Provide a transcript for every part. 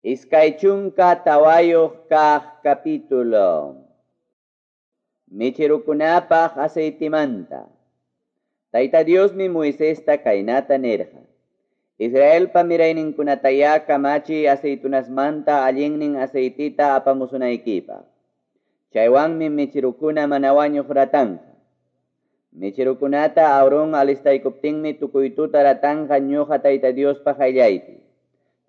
24 kaq capítulo. Mecherukunapaq aceitemanta. Tayta Diosmi Moisesta kaynata nirqa. Israelpa mirayninkunatayá kamachiy aceitunasmanta allinnin aceitita apamusunaykipaq. Chaywanmi mecherukuna mana wañuq ratanqa. Mecherukunata Aarón alistaykuptinmi tukuy tuta ratanqa ñuqa Tayta Diospa qayllaypi.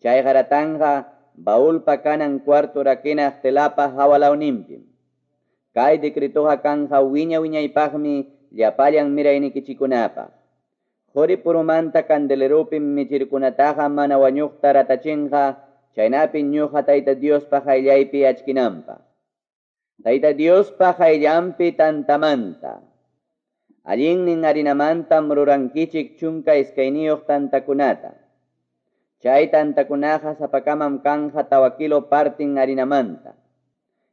Chayqa ratanqa baulpa kanan cuarto rakinaq telapa hawalawninpim. Kay decretoqa kanja wiña wiñaypaqmi llapallan miraynikichikunapaq. Quri purumanta candeleropim mecherukunataqa mana wañuqta ratachinqa, chaynapi ñuqa Tayta Diospa qayllaypi achkinanpaq. Tayta Diospa qayllanpi tantamanta. Allinnin harinamantam rurankichik 12 tantakunata. Chay tantakunaqa sapakamam kanja 4 kilo partin harinamanta.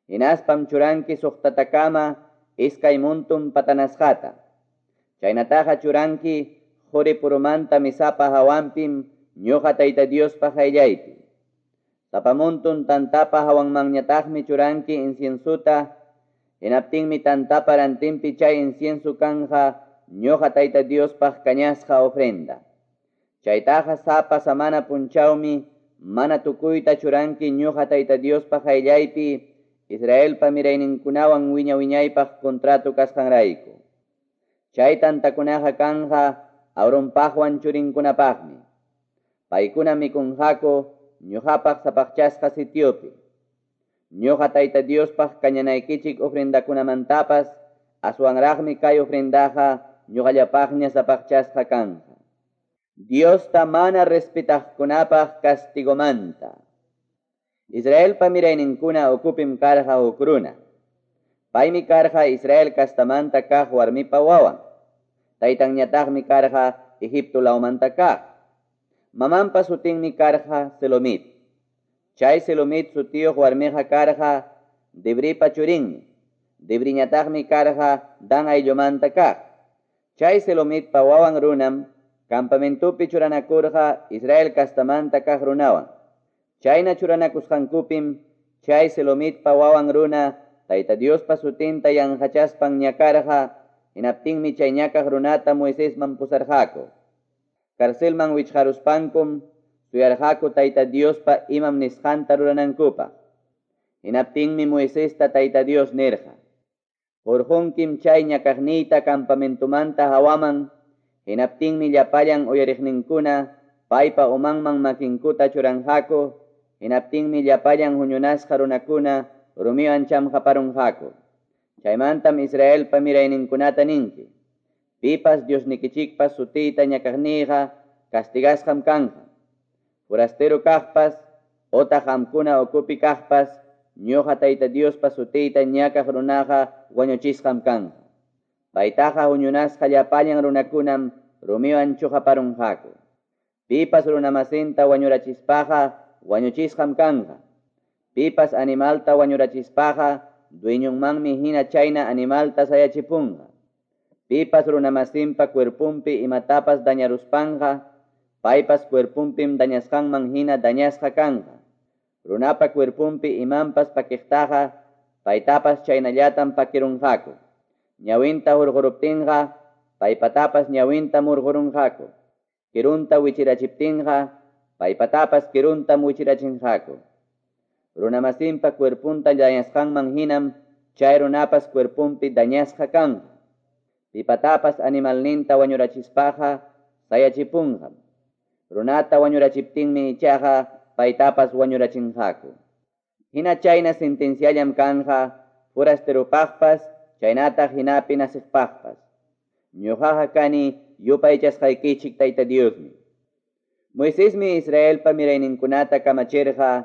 Hinaspam churanki 6takama 2 muntun patanasqata. Chaynataqa churanki quri purumanta misapa hawanpim ñuqa Tayta Diospa qayllaypi. Sapa muntun tantapa hawanmanñataqmi churanki inciensuta, hinaptinmi tantapa rantinpi chay incienso kanja ñuqa Tayta Diospaq kañasqa ofrenda. Chaytaqa sapa samana punchawmi mana tukuyta churanki ñuqa Tayta Diospa qayllaypi Israelpa mirayninkunawan wiña wiñaypaq contrato kasqanrayku. Chay tantakunaqa kanja Aaronpaqwan churinkunapaqmi. Paykuna mikunqaku ñuqapaq sapaqchasqa sitiopi. Ñuqa Tayta Diospaq kañanaykichik ofrendakunamantapas aswanraqmi kay ofrendaqa ñuqallapaqña sapaqchasqa kanja. Diosta mana respetaqkunapaq castigomanta. Israelpa mirayninkuna ukupim karqa huk runa. Paymi karqa Israel kastamanta kaq warmipa wawan. Taytanñataqmi karqa Egipto lawmanta kaq. Mamanpa sutinmi karqa Selomit. Chay Selomit sutiyuq warmiqa karqa Debripa churinmi. Debriñataqmi karqa Dan ayllumanta kaq. Chay Selomitpa wawan runam campamentopi churanakurqa Israel kastamanta kaq runawan. Chayna churanakusqankupim chay Selomitpa wawan runa Tayta Diospa sutinta yanqachaspan ñakarqa, hinaptinmi chay ñakaq runata Moisesman pusarqaku. Carcelman wichqaruspankum suyarqaku Tayta Diospa imam nisqanta ruranankupaq. Hinaptinmi Moisesta Tayta Dios nirqa: Hurqunkim chay ñakaqniyta campamentomanta hawaman, hinaptinmi llapallan uyariqninkuna paypa umanman makinkuta churanqaku, hinaptinmi llapallan huñunasqa runakuna rumiwan chamqaparunqaku. Chaymantam Israelpa mirayninkunata ninki: Pipas Diosnikichikpa sutiyta ñakaqniyqa castigasqam kanja. Forastero kaqpas otaq qamkuna ukupi kaqpas ñuqa Tayta Diospa sutiyta ñakaq runaqa wañuchisqam kanja. Paytaqa huñunasqa llapallan runakunam rumiwan chuqaparunqaku. Pipas runamasinta wañurachispaqa wañuchisqam kanja. Pipas animalta wañurachispaqa dueñonmanmi hina chayna animalta sayachipunqa. Pipas runamasinpa cuerpunpi imatapas dañaruspanqa, paypas cuerpunpim dañasqanman hina dañasqa kanja. Runapa cuerpunpi imanpas pakiqtaqa, paytapas chaynallatam pakirunqaku. Ñawinta hurquruptinqa, paypatapas ñawintam hurqurunqaku. Kirunta wichirachiptinqa, paypatapas kiruntam wichirachinqaku. Runamasinpa cuerpunta dañasqanman hinam chay runapas cuerpunpi dañasqa kanja. Pipatapas animalninta wañurachispaqa sayachipunqam. Runata wañurachiptinmi ichaqa paytapas wañurachinqaku. Hina chayna sentenciallam kanja forasteropaqpas chaynataq hinapi nasiqpaqpas. Ñuqaqa kani yupaychasqaykichik Tayta Diosmi. Moisesmi Israelpa mirayninkunata kamachirqa,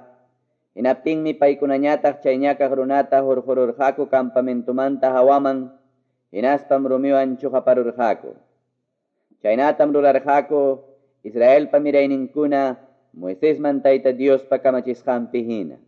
hinaptinmi paykunañataq chay ñakaq runata hurqururqaku campamentomanta hawaman, hinaspam rumiwan chuqaparurqaku. Chaynatam rurarqaku Israelpa mirayninkuna Moisesman Tayta Diospa kamachisqanpi hina.